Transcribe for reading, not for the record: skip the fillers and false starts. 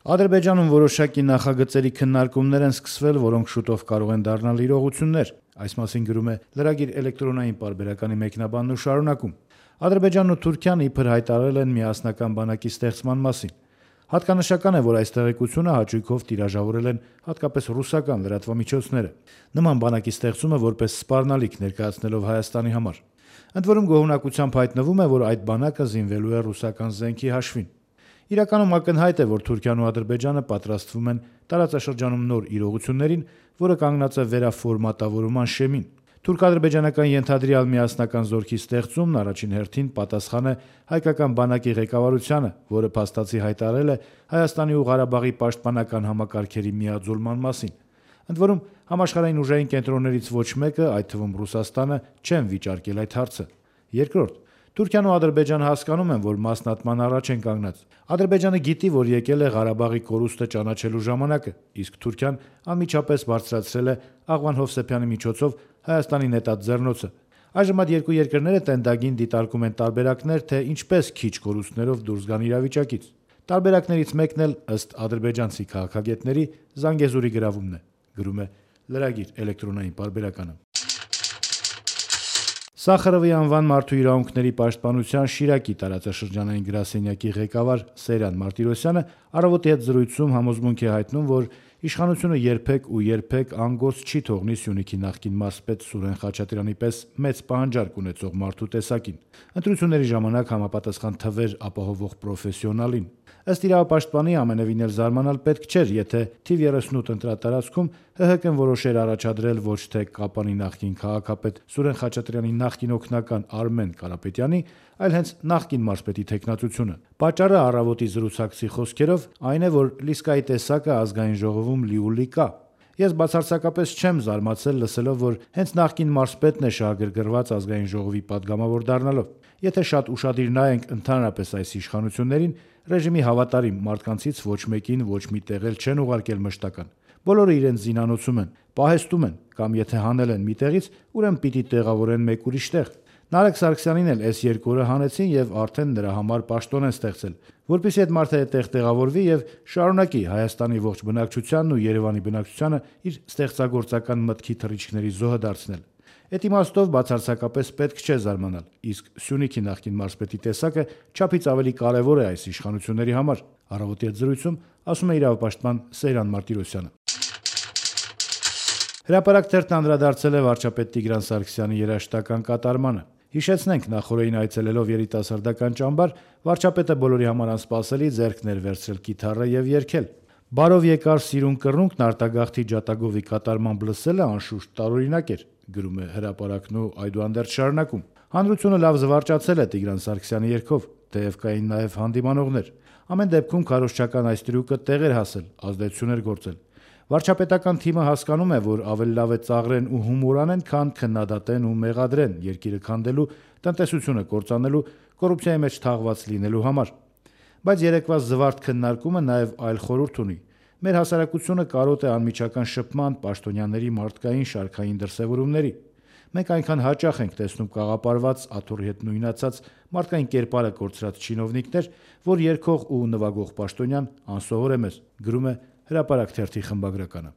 Ադրբեջանում որոշակի նախագծերի քննարկումներ են սկսվել, որոնք շուտով կարող են դառնալ իրողություններ։ Այս մասին գրում է Լրագիր էլեկտրոնային պարբերականի մեկնաբանն ու շարունակում. Ադրբեջանն ու Թուրքիան իբր հայտարարել են միասնական բանակի ստեղծման մասին։ Հատկանշական է, որ այս տեղեկությունը հաճույքով տիրաժավորել են հատկապես ռուսական լրատվամիջոցները։ Նման բանակի ստեղծումը որպես սպառնալիք ներկայացնելով Հայաստանի համար։ Ընդ որում գոհունակությամբ հայտնվում է, որ այդ բանակը զինվելու է ռուսական զենքի հաշվին։ Իրականում ակնհայտ է, որ Թուրքիան ու Ադրբեջանը պատրաստվում են տարածաշրջանում նոր իրողություններին, որը կանգնած է վերաֆորմատավորման շեմին։ Թուրք-ադրբեջանական ենթադրյալ միասնական զորքի ստեղծումն առաջին հերթին պատասխան է հայկական բանակի ղեկավարությանը, որը փաստացի հայտարարել է Հայաստանի ու Ղարաբաղի պաշտպանական համակարգերի միաձուլման մասին։ Ընդ որում համաշխարհային ուժային կենտրոններից ոչ մեկը, այդ թվում Ռուսաստանը, չեն վիճարկել այդ հարցը։ Երկրորդ, Թուրքիան ու Ադրբեջանը հասկանում են, որ մասնատման առաջ են կանգնած։ Ադրբեջանը գիտի, որ եկել է Ղարաբաղի կորուստը ճանաչելու ժամանակը, իսկ Թուրքիան անմիջապես բարձրացրել է Աղվան Հովսեփյանի միջոցով Հայաստանի նետած ձեռնոցը։ Այժմ այդ երկու երկրները տենդագին դիտարկում են տարբերակներ, թե ինչպես քիչ կորուստներով դուրս գան իրավիճակից։ Տարբերակներից մեկն էլ, ըստ ադրբեջանցի քաղաքագետների, Զանգեզուրի գրավումն է, գրում է Լրագիր էլեկտրոնային պարբերականը։ Սախարովի անվան մարդու իրավունքների պաշտպանության Շիրակի տարածաշրջանային գրասենյակի ղեկավար Սեյրան Մարտիրոսյանը առավոտի հետ զրույցում համոզմունք է հայտնում, որ իշխանությունը երբեք անգոց չի թողնի Սյունիքի նախկին մարզպետ Սուրեն Խաչատրյանի պես մեծ պահանջարկ ունեցող մարդու տեսակին։ Ընտրությունների ժամանակ համապատասխան թվեր ապահովող պրոֆեսիոնալին։ Ըստ իրավապաշտպանի ամենևին էլ զարմանալ պետք չէր, եթե թիվ 38 ընտրատարածքում ՀՀԿ-ն որոշեր առաջադրել ոչ թե Կապանի նախկին քաղաքապետ Սուրեն Խաչատրյանի նախկին օգնական Արմեն Կարապետյանի, այլ հենց նախկին մարզպետի թեկնածությունը։ Պատճառը առավոտի զրուցակցի խոսքերով այն է, որ Լիսկայի տեսակը ազգային ժողովում լիուլի կա։ Ես բացարձակապես չեմ զարմացել լսելով, որ հենց նախկին մարզպետն է շահագրգռված ազգային ժողովի падգամավոր դառնալով։ Եթե շատ ուշադիր նայենք ընդհանրապես այս իշխանություններին, ռեժիմի հավատարիմ մարդկանցից ոչ մեկին ոչ մի տեղ էլ չեն ուղարկել մշտական։ Բոլորը իրենց զինանոցում են, պահեստում են, կամ եթե հանել են մի տեղից, ուրեմն պիտի տեղավորեն մեկ ուրիշ տեղ։ Նարեկ Սարգսյանին էլ S2 օրը հանեցին եւ արդեն նրա համար պաշտոն են ստեղծել, որպեսզի այդ մարդը այդտեղ տեղավորվի եւ շարունակի Հայաստանի ողջ բնակչությանն ու Երևանի բնակչությանը իր ստեղծագործական մտքի թռիչքների զոհը դարձնել։ Այդ իմաստով բացարձակապես պետք չէ զարմանալ, իսկ Սյունիքի նախկին մարզպետի տեսակը չափից ավելի կարևոր է այս իշխանությունների համար, առավոտի հետ զրույցում ասում է իրավապաշտպան Սեյրան Մարտիրոսյանը։ Հրապարակ թերթն անդրադարձել է վարչապետ Տիգրան Սարգսյանի երաժշտական կատարմանը։ Հիշեցնենք, նախորդին այցելելով երիտասարդական ճամբար, վարչապետը բոլորի համար անսպասելի ձեռքն էր վերցրել կիթառը եւ երգել։ Բարով եկար սիրուն կռունկն արտագաղթի ջատագովի կատարմամբ լսելը անշուշտ տարօրինակ էր, գրում է հրապարակն ու այդուհանդերձ շարունակում։ Հանրությունը լավ զվարճացել է Տիգրան Սարգսյանի երգով, թեև կային նաեւ հանդիմանողներ։ Ամեն դեպքում քարոզչական այս տրյուկը տեղ էր հասել, ազդեցություն էր գործել։ Վարչապետական թիմը հասկանում է, որ ավելի լավ է ծաղրեն ու հումոր անեն, քան քննադատեն ու մեղադրեն երկիրը քանդելու, տնտեսությունը կործանելու, կոռուպցիայի մեջ թաղված լինելու համար։ Բայց երեկվա զվարթ քննարկումը նաև այլ խորհուրդ ունի։ Մեր հասարակությունը կարոտ է անմիջական շփման, պաշտոնյաների մարդկային շարքային դրսևորումների։ Մենք այնքան հաճախ ենք տեսնում կաղապարված, աթոռի հետ նույնացած, մարդկային կերպարը կորցրած չինովնիկներ, որ երգող ու նվագող պաշտոնյան անսովոր է մեզ, գրում է Հրապարակ թերթի խմբագրականը։